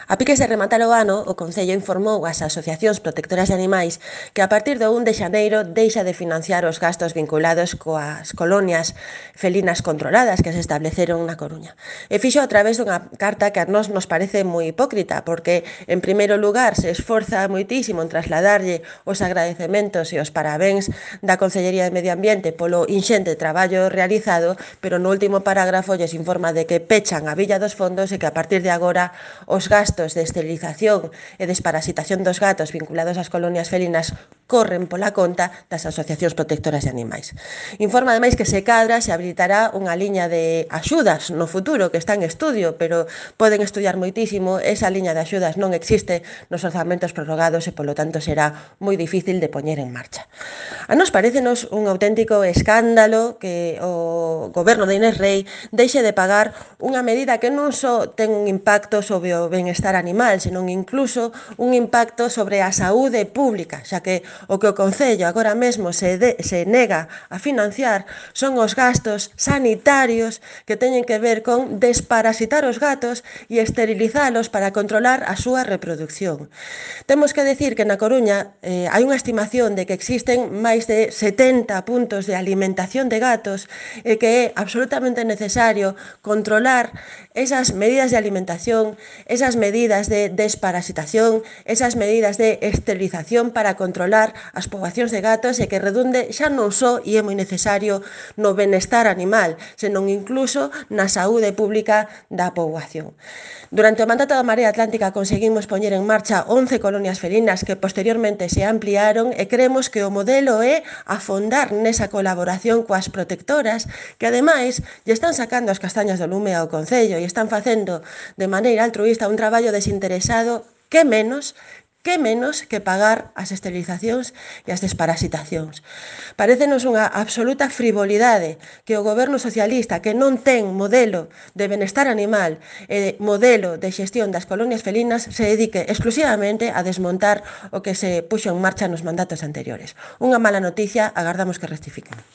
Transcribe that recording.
A piques de rematar o ano, o Concello informou ás asociacións protectoras de animais que a partir do 1 de xaneiro deixa de financiar os gastos vinculados coas colonias felinas controladas que se estableceron na Coruña. E fixo a través dunha carta que a nós nos parece moi hipócrita, porque, en primeiro lugar, se esforza moitísimo en trasladarlle os agradecementos e os parabéns da Consellería de Medio Ambiente polo inxente traballo realizado, pero no último parágrafo lles informa de que pechan a Villa dos Fondos e que a partir de agora os gastos de esterilización e desparasitación dos gatos vinculados ás colonias felinas corren pola conta das asociacións protectoras de animais. Informa ademais que se cadra se habilitará unha liña de axudas no futuro que está en estudio, pero poden estudiar moitísimo, esa liña de axudas non existe nos orzamentos prorrogados e polo tanto será moi difícil de poñer en marcha. A nos parecenos un auténtico escándalo que o goberno de Inés Rei deixe de pagar unha medida que non só ten un impacto sobre o benestar animal, senón incluso un impacto sobre a saúde pública, xa que o Concello agora mesmo se nega a financiar son os gastos sanitarios que teñen que ver con desparasitar os gatos e esterilizalos para controlar a súa reproducción. Temos que decir que na Coruña hai unha estimación de que existen máis de 70 puntos de alimentación de gatos e que é absolutamente necesario controlar esas medidas de alimentación, esas medidas de desparasitación, esas medidas de esterilización para controlar as poboacións de gatos e que redunde xa non só, e é moi necesario, no benestar animal, senón incluso na saúde pública da poboación. Durante o mandato da Marea Atlántica conseguimos poñer en marcha 11 colonias felinas que posteriormente se ampliaron e creemos que o modelo é afondar nesa colaboración coas protectoras que ademais lle están sacando as castañas do lume ao Concello e están facendo de maneira altruísta un traballo desinteresado que menos que pagar as esterilizacións e as desparasitacións. Parécenos unha absoluta frivolidade que o goberno socialista, que non ten modelo de benestar animal e modelo de xestión das colonias felinas, se dedique exclusivamente a desmontar o que se puxo en marcha nos mandatos anteriores. Unha mala noticia, agardamos que rectifiquen.